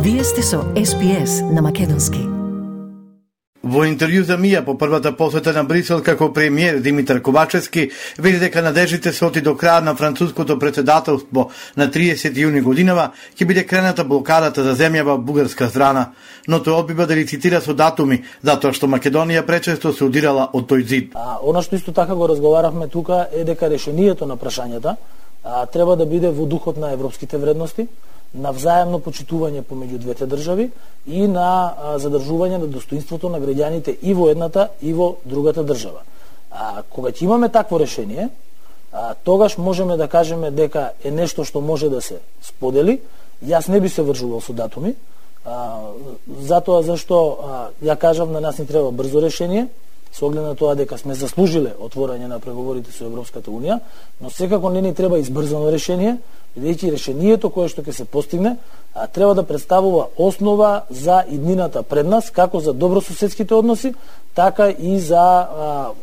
Вие сте со SPS на македонски. Во интервју за МИА по првата посета на Брисел како премиер Димитар Ковачевски вели дека надежите се оти до крај на француското претседателство на 30 јуни годинава ќе биде крената блокадата за земја во бугарска страна, но тој одбива да лицитира со датуми затоа што Македонија пречесто се удирала од тој зид. Она што исто така го разговаравме тука е дека решението на прашањата треба да биде во духот на европските вредности, на взаемно почитување помеѓу двете држави и на задржување на достоинството на граѓаните и во едната и во другата држава. Кога ќе имаме такво решение, тогаш можеме да кажеме дека е нешто што може да се сподели. Јас не би се вржувал со датуми, затоа зашто ја кажав, на нас ни треба брзо решение, со оглед на тоа дека сме заслужиле отворање на преговорите со Европската Унија, но секако не ни треба избрзано решение, бидејќи решението кое што ќе се постигне треба да представува основа за иднината пред нас, како за добрососедските односи, така и за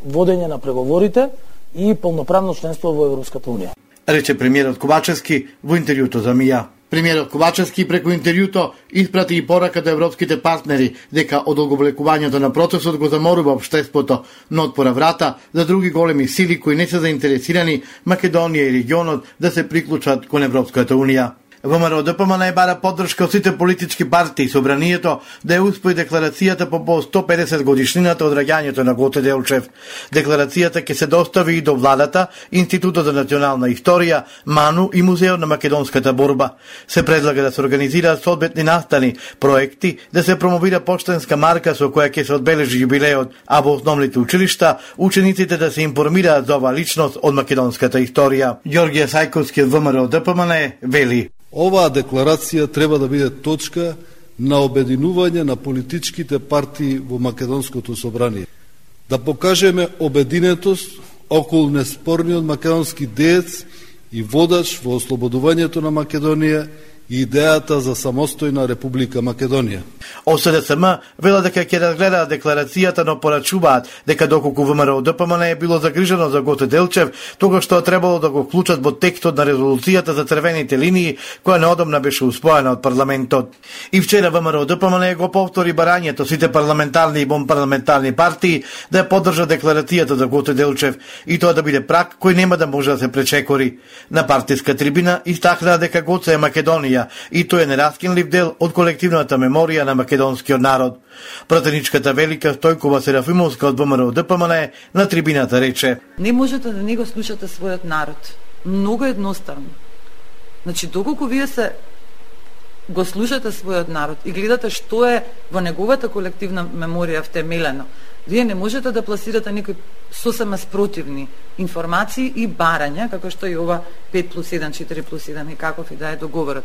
водење на преговорите и полноправно членство во Европската Унија. Рече премиерот Ковачевски во интервјуто за МИА. Премиерот Ковачевски преку интервјуто испрати и порака до европските партнери дека одолговлекувањето на процесот го заморува општеството, но отпора врата за други големи сили кои не се заинтересирани Македонија и регионот да се приклучат кон Европската Унија. ВМРО-ДПМН бара поддршка од сите политички партии собранието да ја успои декларацијата по 150 годишнината од раѓањето на Гоце Делчев. Декларацијата ќе се достави и до владата, Институтот за национална историја, МАНУ и Музеот на македонската борба. Се предлага да се организираат соодветни настани, проекти, да се промовира поштенска марка со која ќе се одбележи јубилеот, а во основните училишта учениците да се информираат за оваа личност од македонската историја. Ѓорѓе Сајковски од ВМРО-ДПМН вели: Оваа декларација треба да биде точка на обединување на политичките партии во Македонското собрание. Да покажеме обединетост околу неспорниот македонски деец и водач во ослободувањето на Македонија и идејата за самостојна Република Македонија. ОСДСМ вела дека ќе разгледаат декларацијата, но порачуваат дека доколку ВМРО-ДПМН е било загрижено за Гоце Делчев, тогаш што требало да го вклучат во текстот на резолуцијата за црвените линии, која неодамна беше успоена од парламентот. И вчера ВМРО-ДПМН го повтори барањето сите парламентарни и вонпарламентарни партии да ја поддржат декларацијата за Гоце Делчев и тоа да биде прак кој нема да може да се пречекори. На партиска трибина истакнаа дека Гоце е Македонија и тој е нераскинлив дел од колективната меморија на македонскиот народ. Пратеничката Велика Стојкова Серафимовска од ВМРО-ДПМН на трибината рече: Не можете да не го слушате својот народ. Многу едноставно. Значи, доколку вие се го слушате својот народ и гледате што е во неговата колективна меморија втемелено, вие не можете да пласирате некои сосема спротивни информации и барања, како што и ова 5+1, 4+1 и каков и да е договорот.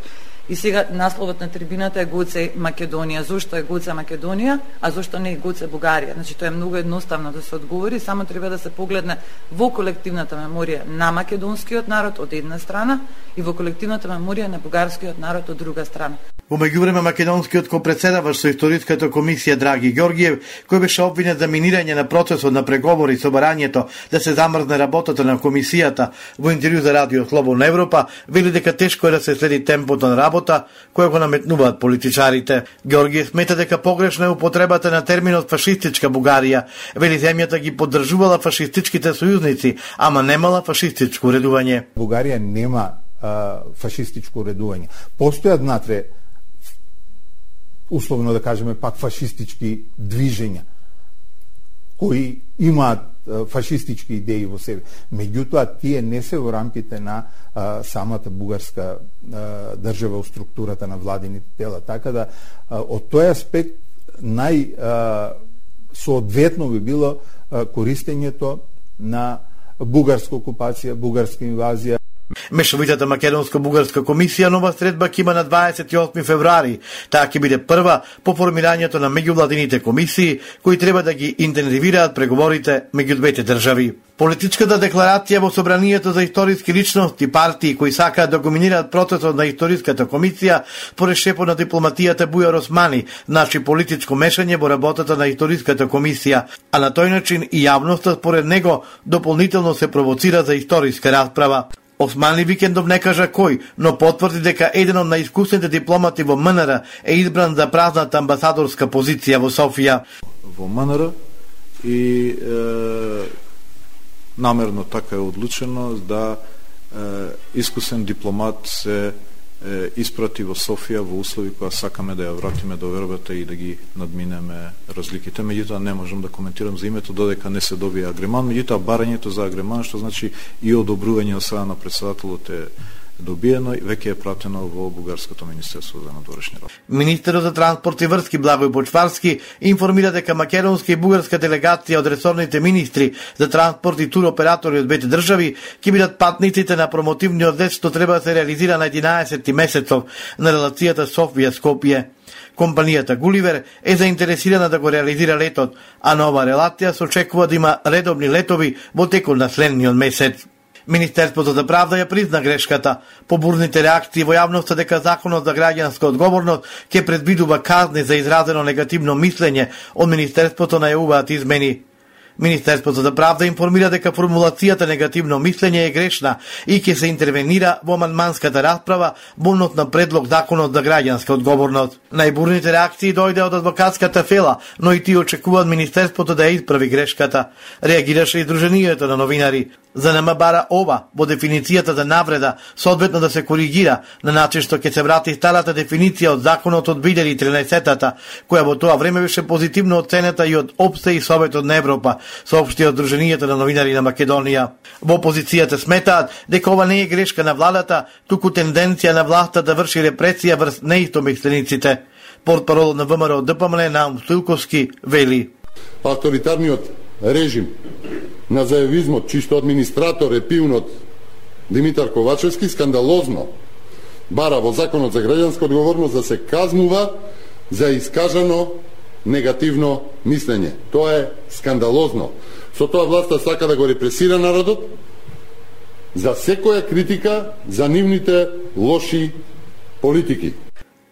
И сега насловот на трибината е Гоце Македонија. Зошто е Гоце Македонија, а зошто не е Гоце Бугарија? Значи, тоа е многу едноставно да се одговори, само треба да се погледне во колективната меморија на македонскиот народ од една страна и во колективната меморија на бугарскиот народ од друга страна. Во меѓувреме македонскиот копредседавач со историската комисија Драги Ѓорѓиев, кој беше обвинет за минирање на процесот на преговори со барањето да се замрзне работата на комисијата, во интервју за Радио Слободна Европа, вели дека тешко е да се следи темпото на работа која го наметнуваат политичарите. Ѓорѓиев смета дека погрешна е употребата на терминот фашистичка Бугарија. Вели земјата ги поддржувала фашистичките сојузници, ама немала фашистичко редување. Бугарија нема фашистичко редување. Постојат внатре, условно да кажеме, пак фашистички движења кои имаат фашистички идеи во себе. Меѓутоа, тие не се во рамките на самата бугарска држава, структурата на владините тела. Така да, од тој аспект, соодветно би било користењето на бугарска окупација, бугарска инвазија. Мешовитата македонско-бугарска комисија нова средба ќе има на 28 февруари. Таа ќе биде прва по формирањето на меѓувладините комисии кои треба да ги интензивираат преговорите меѓу двете држави. Политичката декларација во собранието за историски личности партии кои сакаат да доминираат процесот на историската комисија според шефот на дипломатијата Бујар Османи, значи политичко мешање во работата на историската комисија, а на тој начин и јавноста според него дополнително се провоцира за историска расправа. Османли Викендов не кажа кој, но потврди дека еден од најискусните дипломати во МНР е избран за празната амбасадорска позиција во Софија. Во МНР и намерно така е одлучено да искусен дипломат се испрати во Софија во услови која сакаме да ја вратиме до вербата и да ги надминеме разликите. Меѓутоа не можам да коментирам за името додека не се добие агреман. Меѓутоа барањето за агреман, што значи и одобрување од страна на председателот е добиено и веќе е пратено во Бугарското министерство за надворешни работи. Министерот за транспорт и врски Благој Бочварски информира дека македонска и бугарска делегација од ресорните министри за транспорт и туроператори од двете држави ќе бидат патниците на промотивниот лет што треба да се реализира на 11 месецов на релацијата Софија-Скопје. Компанијата Гуливер е заинтересирана да го реализира летот, а на ова релација се очекува да има редовни летови во текот на следниот месец. Министерството за правда ја призна грешката. По бурните реакции во јавноста дека законот за граѓанска одговорност ќе предвидува казни за изразено негативно мислење, од Министерството најавуваат измени. Министерството за правда информира дека формулацијата негативно мислење е грешна и ќе се интервенира во амандманската расправа во однос на предлог законот за граѓанска одговорност. Најбурните реакции дојде од адвокатската фела, но и тие очекуваат Министерството да ја исправи грешката. Реагираше и Сдруженијето на новинари. За нема бара ова во дефиницијата за навреда соодветно да се коригира на начин што ќе се врати старата дефиниција од законот од 2013-та, која во тоа време беше позитивно оценета и од ОПСЕ и Советот на Европа, соопшти од Сдруженијето на новинари на Македонија. Во опозицијата сметаат дека ова не е грешка на владата, туку тенденција на власта да врши репресија врз неистомислениците. Портпарол на ВМРО ДПМН Наум Стоилковски вели: авторитарниот режим на заевизмот, чисто администратор е пивнот Димитар Ковачевски, скандалозно бара во законот за граѓанска одговорност да се казнува за искажано негативно мислење. Тоа е скандалозно. Со тоа власта сака да го репресира народот за секоја критика за нивните лоши политики.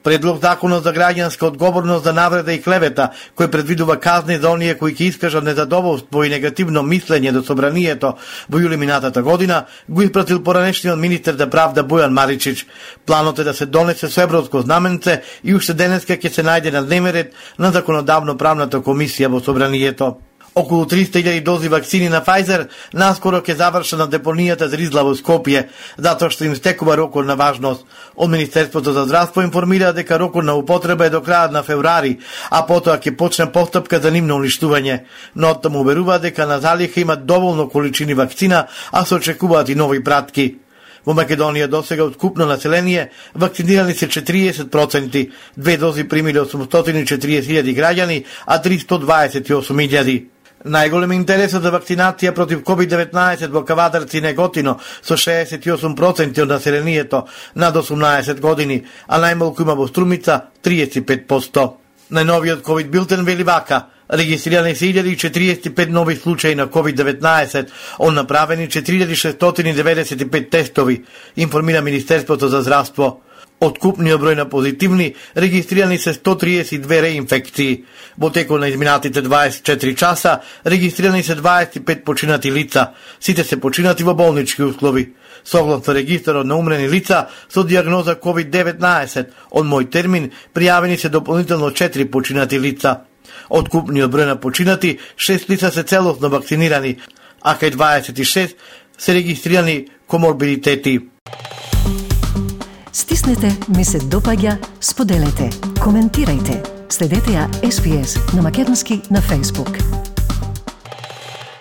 Предлог законот за граѓанска одговорност за навреда и клевета, кој предвидува казни за оние кои ќе искажат незадоволство и негативно мислење до собранието во јули минатата година, го испратил поранешниот министер за правда Бојан Маричич. Планот е да се донесе со европско знаменце и уште денеска ќе се најде на дневен ред на законодавно-правната комисија во собранието. Околу 300.000 дози вакцини на Pfizer наскоро ќе завршат на депонијата Зризла во Скопје, затоа што им стекува рокот на важност. Од Министерството за здравство информира дека рокот на употреба е до крајот на февруари, а потоа ќе почне постапка за нивно уништување. Но оттаму уверува дека на залиха имат доволно количини вакцина, а се очекуваат и нови пратки. Во Македонија досега од купно население вакцинирани се 40%, 2 дози примиле 840.000 граѓани, а 328.000. Најголем интересот за вакцинација против COVID-19 во Кавадарци и Неготино со 68% од населението над 18 години, а најмалку има во Струмица 35%. Најновиот COVID билтен вели вака: регистрирани се 1045 нови случаи на COVID-19, од направени 4695 тестови, информира Министерството за здравство. Од купниот број на позитивни, регистрирани се 132 реинфекции. Во текот на изминатите 24 часа, регистрирани се 25 починати лица. Сите се починати во болнички услови. Согласно регистарот на умрени лица со диагноза COVID-19, од мој термин, пријавени се дополнително 4 починати лица. Од купниот број на починати, 6 лица се целосно вакцинирани, а кај 26 се регистрирани коморбидитети. Стиснете, ми се допаѓа, споделете, коментирајте. Следете ја SPS на Македонски на Facebook.